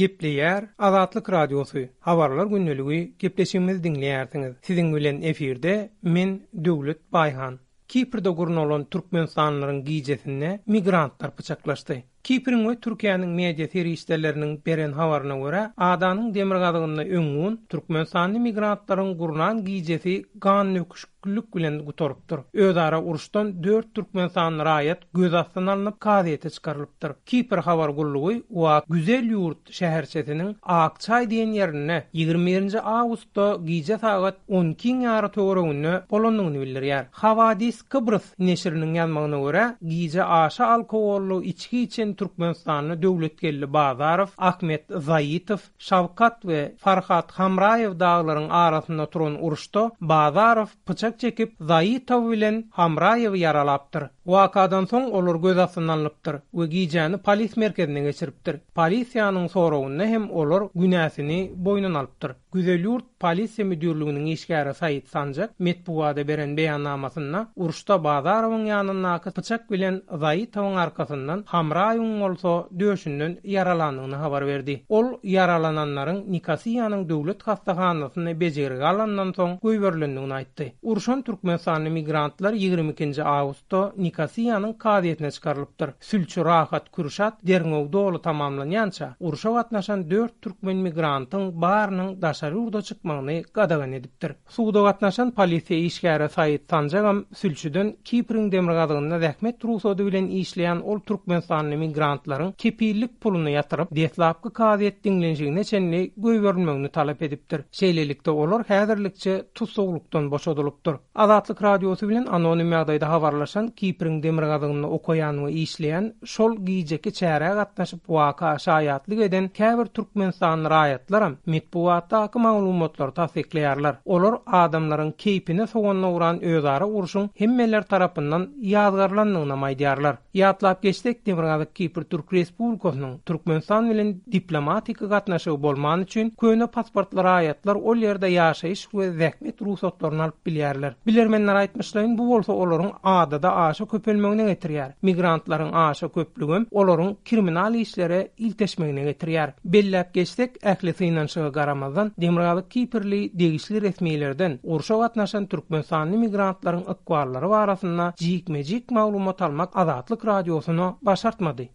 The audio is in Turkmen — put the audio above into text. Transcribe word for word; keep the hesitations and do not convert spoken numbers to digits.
Gepleýär Azatlyk Radiosy. Habarlar gündeligi gepleşigimizi diňleýärsiňiz. Siziň bilen efirde men Döwlet Baýhan. Kiprde gurnalan Türkmenistanlylaryň gijesinde migrantlar pyçaklaşdy. Kipriň we Türkiýäniň media serişdeleriniň beren habaryna görä, adanyň demirgazygynda öňňun Türkmenistanly migrantlaryň gurnan gijesi gan döküşiklik bilen gutarypdyr. Özara uruşdan dört Türkmenistanly raýat göz astyna alnyp kazyýete çykarylypdyr. Kipr habar gullugy we Güzel ýurt şäherçesiniň Akçay diýen ýerinde ýigrimi birinji awgustda gije sagat on iki ýary töwereginde bolandygyny bildirýär. Havadis Kıbrıs neşiriniň ýazmagyna görä, gije aşa alkogolly içki içen Türkmenistanly Döwletgeldi Bazarow, Ahmet Zaitow, Şawkat we Farhat Hamraýew daglaryň arasynda turan uruşda Bazarow pyçak çekip Zaitow bilen Hamraýewi ýaralapdyr. Wakadan soň olar göz astyna alnypdyr we gijäni polis merkezine geçiripdir. Polisiýanyň soragynda hem olar günäsini boýnuna alypdyr. Güzel ýurt polisiýa müdürliginiň işgäri Said Sanjak metbugada beren beýannamasynda uruşda Bazarowyň ýanyndaky pyçak bilen Zaitowyň arkasyndan Hamraýewiň bolsa döşünden ýaralandygyny habar berdi. Ol ýaralananlaryň Nikosiýanyň döwlet hastahanasynda bejergi alandan soň goýberilendigini aýtdy. Urşan Türkmenistanly migrantlar ýigrimi ikinji awgustda Nikosiýanyň kazyýetine çykarylypdyr. Sülçi Rahat Kürşat derňew doly tamamlanýança urşa gatnaşan dört türkmen migrantyň barynyň daşary ýurda çykmagyny gadagan edipdir. Suwda gatnaşan polisiýa işgäri Said Sanjagam sülçüden Kipriň demirgazygynda zähmet rugsady bilen işleýän ol Türkmenistanly migrantlaryň kepillik puluny ýatyryp, deslapky kazyýet diňlenişigine çenli goýberilmegini talap edipdir. Şeýlelikde olar häzirlikçe tussaglykdan boşadylypdyr. Azatlyk Radiosy bilen anonim ýagdaýda habarlaşan Kipriň demirgazygynda okaýan we işleýän şol gijeki çärä gatnaşyp waka şaýatlyk eden käbir Türkmenistanly raýatlaram metbugatdaky maglumatlary tassyklaýarlar. Olar adamlaryň keýpine soganna uran özara urşuň hemmeler tarapyndan ýazgarlandygyny aýdýarlar. Ýatlap geçsek, Demirgazyk Kipr Türk Respublikasynyň Türkmenistan bilen diplomatik gatnaşygy bolman üçin köne pasportly raýatlar ol ýerde ýaşaýyş we zähmet rugsatlaryny alyp bilýärler. Bilermenler aýtmyşlaýyn, bu bolsa olaryň adada aşa köpelmegine getirýär. Migrantlaryň aşa köplügi olaryň kriminal işlere ilteşmegine getirýär. Belläp geçsek, ähli synanyşyga garamazdan Demirgazyk Kiprli degişli resmilerden urşa gatnaşan Türkmenistanly migrantlaryň ykballary barasynda jikme-jik maglumat almak Azatlyk Radiosyna başartmady.